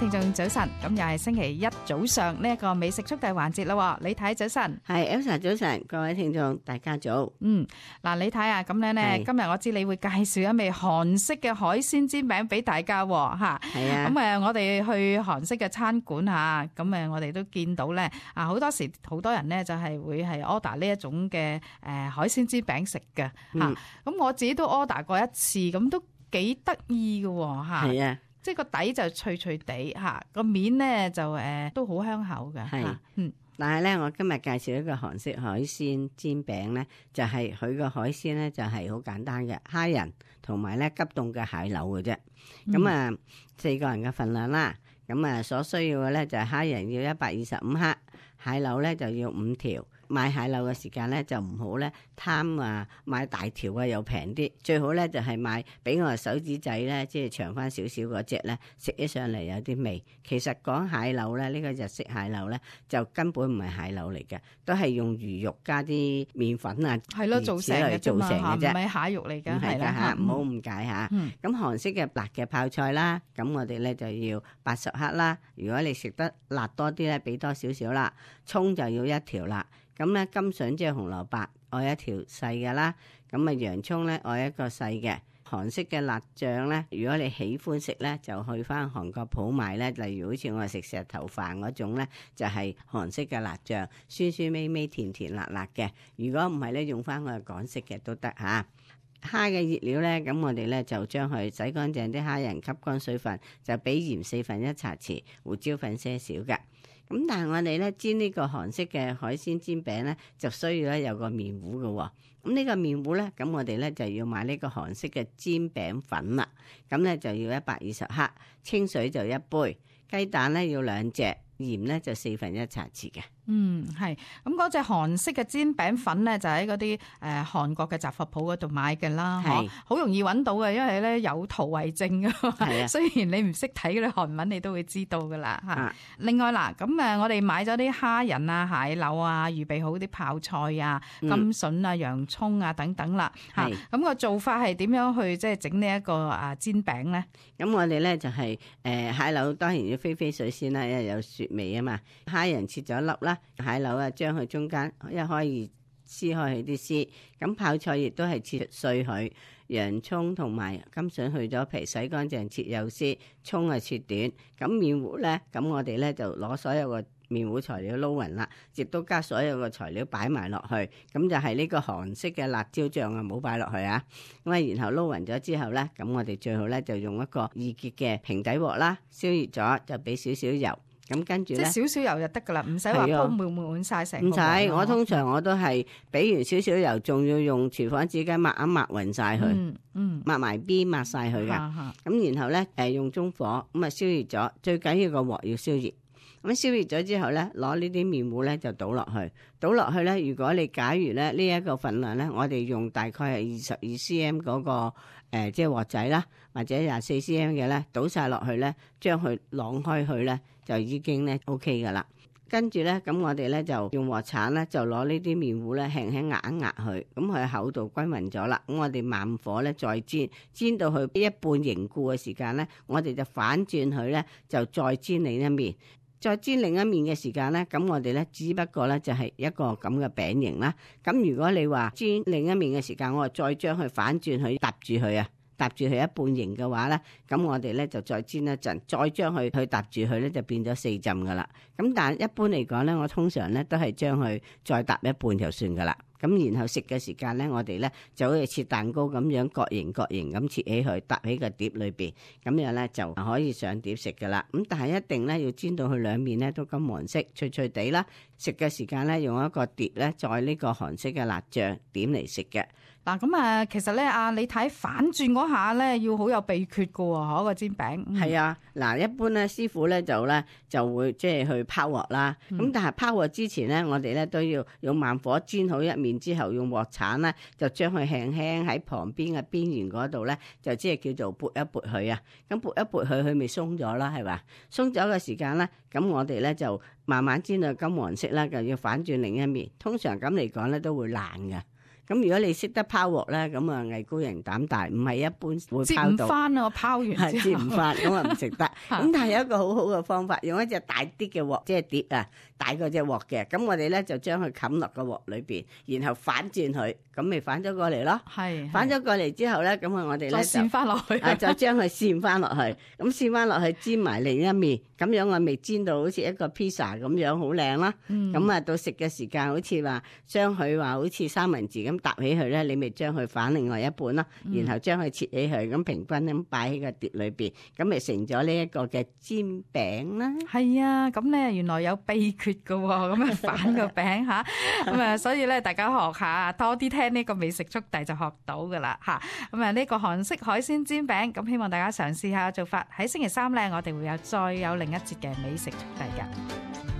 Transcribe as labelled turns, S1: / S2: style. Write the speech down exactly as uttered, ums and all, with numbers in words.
S1: 聽眾早晨，咁又係星期一早上呢一個美食速遞環節啦。李太早晨，
S2: 係 Elsa 早晨，各位聽眾大家早。
S1: 嗯，嗱，李太啊，咁樣咧，今日我知你會介紹一味韓式嘅海鮮煎餅俾大家吓。
S2: 係啊，
S1: 咁誒，我哋去韓式嘅餐館吓，咁誒，我哋都見到咧，啊，好多時好多人咧就係會係 order 呢一種嘅誒海鮮煎餅食嘅吓。咁、嗯、我自己都 order 過一次，咁都幾得意嘅吓。係啊。即係個底就脆脆地嚇，個面咧就誒、呃、都好香口嘅。係，嗯。
S2: 但係咧，我今日介紹一個韓式海鮮煎餅咧，就係佢個海鮮咧就係好簡單嘅蝦仁同埋咧急凍嘅蟹柳嘅啫。咁、嗯、啊，四個人嘅份量啦。咁啊，所需要嘅咧就係蝦仁要一百二十五克，蟹柳咧就要五條。買蟹柳嘅時間咧就唔好咧貪啊買大條啊又平啲，最好咧就係買比我手指仔咧即係長翻少少嗰隻咧，食起上嚟有啲味。其實講蟹柳咧，呢個日式蟹柳咧就根本唔係蟹柳嚟嘅，都係用魚肉加啲麵粉啊，
S1: 係咯做成嘅
S2: 做成嘅啫，
S1: 唔係蟹肉嚟㗎，係啦
S2: 嚇，唔好誤解嚇。咁、嗯、韓式嘅辣嘅泡菜啦，咁我哋咧就要八十克啦。如果你食得辣多啲咧，俾多少少啦。葱就要一條啦。咁咧金筍即係紅蘿蔔，愛一條細嘅啦。咁啊洋葱咧愛一個細嘅。韓式嘅辣醬咧，如果你喜歡食咧，就去翻韓國鋪買咧。例如好似我哋食石頭飯嗰種咧，就係、是、韓式嘅辣醬，酸酸味味、甜甜辣辣嘅。如果唔係咧，用翻我哋港式嘅都得嚇。蝦嘅熱料咧，咁我哋咧就將佢洗乾淨啲蝦仁，吸乾水分，就俾鹽四分一茶匙，胡椒粉些少嘅。咁但係我哋咧煎呢個韓式嘅海鮮煎餅咧，就需要咧有個麵糊嘅、哦。咁呢個麵糊咧，咁我哋咧就要買呢個韓式嘅煎餅粉啦。咁咧就要一百二十克，清水就一杯，雞蛋咧要兩隻，鹽咧就四分一茶匙嘅。
S1: 嗯，係。咁嗰隻韓式嘅煎餅粉咧，就喺嗰啲誒韓國嘅雜貨鋪嗰度買嘅啦，係好容易揾到嘅，因為咧有圖為證噶嘛。係啊，雖然你唔識睇嗰啲韓文，你都會知道噶啦嚇。另外嗱，咁誒我哋買咗啲蝦仁啊、蟹柳啊，預備好啲泡菜啊、金筍啊、洋葱啊等等啦嚇。咁個做法係點樣去即係整呢一個啊煎餅咧？咁
S2: 我哋咧就係誒蟹柳當然要飛飛水先啦，因為有雪味啊嘛。蝦仁切咗粒啦。蟹柳啊，將佢中間一開二撕開佢啲絲，咁泡菜亦都係切碎佢，洋葱同埋金筍去咗皮，洗乾淨切幼絲，葱啊切短，咁麵糊咧，咁我哋咧就攞所有個麵糊材料撈勻啦，亦都加所有個材料擺埋落去，咁就係呢個韓式嘅辣椒醬啊，冇擺落去啊，咁啊然後撈勻咗之後咧，咁我哋最好咧就用一個易潔嘅平底鑊啦，燒熱咗就俾少少油。咁跟住咧，
S1: 即係少少油就得噶啦，唔使話鋪滿滿晒成。唔使，
S2: 我通常我都係俾完少少油，仲要用廚房紙巾抹一抹勻晒佢，嗯嗯，抹埋邊抹晒佢噶。咁然後咧，誒用中火咁啊燒熱咗，最緊要個鑊要燒熱。咁燒熱咗之後咧，攞呢啲麵糊咧就倒落去，倒落去咧。如果你假如咧呢一個份量咧，我哋用大概係二十二 cm 嗰個誒即係鑊仔啦，或者廿四 cm 嘅咧，倒晒落去咧，將佢晾開去咧，就已經咧 OK 噶啦。跟住咧，咁我哋咧就用鑊鏟咧，就攞呢啲麵糊咧輕輕壓一壓佢，咁佢厚度均勻咗啦。咁我哋慢火咧再煎，煎到佢一半凝固嘅時間咧，我哋就反轉佢咧，就再煎另一面。再煎另一面嘅時間咧，咁我哋咧只不過咧就係一個咁嘅餅形啦。咁如果你話煎另一面嘅時間，我再將佢反轉佢搭住佢啊，搭住佢一半形嘅話咧，咁我哋咧就再煎一陣，再將佢去搭住佢咧就變咗四浸噶啦。咁但係一般嚟講咧，我通常咧都係將佢再搭一半就算噶啦。咁然後食嘅時間咧，我哋咧就好似切蛋糕咁樣各形各形咁切起佢，搭喺個碟裏邊，咁樣咧就可以上碟食噶啦。咁但係一定咧要煎到佢兩面咧都金黃色，脆脆地啦。食嘅時間咧用一個碟咧載呢個韓式嘅辣醬點嚟食嘅。
S1: 嗱咁啊，其實咧啊，你睇反轉嗰下咧要好有秘訣噶喎，嗰個煎餅。係、
S2: 嗯、啊，嗱，一般咧師傅咧就咧就會即係去拋鑊啦。咁、嗯、但係拋鑊之前咧，我哋咧都要用慢火煎好一面之後，用鑊鏟咧就將佢輕輕喺旁邊嘅邊緣嗰度咧，就即係叫做撥一撥佢啊。咁撥一撥佢，佢咪鬆咗啦，係嘛？鬆咗嘅時間咧，咁我哋咧就慢慢煎到金黃色啦，就要反轉另一面。通常咁嚟講咧都會爛嘅。咁如果你識得拋鑊咧，咁啊藝高人膽大，唔係一般會
S1: 接
S2: 拋到。
S1: 唔翻啊！我拋完之後
S2: 接唔翻，咁啊唔食得。咁但係有一個好好嘅方法，用一隻大啲嘅鑊，即係碟啊，大過隻鑊嘅。咁我哋咧就將佢冚落個鑊裏邊，然後反轉佢，咁咪反咗過嚟咯。
S1: 係
S2: 反咗過嚟之後咧，咁啊我哋咧就
S1: 扇翻落去，
S2: 啊就將佢扇翻落去，咁扇翻落去煎埋另一面，咁樣我咪煎到好似一個 pizza 咁樣好靚啦。咁啊、嗯、到食嘅時間，好似話將佢話好似三文治咁搭起佢咧，你咪將佢反另外一半啦，然後將佢切起佢，咁平均咁擺喺個碟裏邊，咁咪成咗呢一個嘅煎餅啦。
S1: 係啊，咁咧原來有秘訣噶，咁啊反個餅吓，咁啊所以咧大家學下，多啲聽呢個美食速遞就學到噶啦吓。咁啊呢個韓式海鮮煎餅，咁希望大家嘗試下做法。喺星期三咧，我哋會有再有另一節嘅美食速遞噶。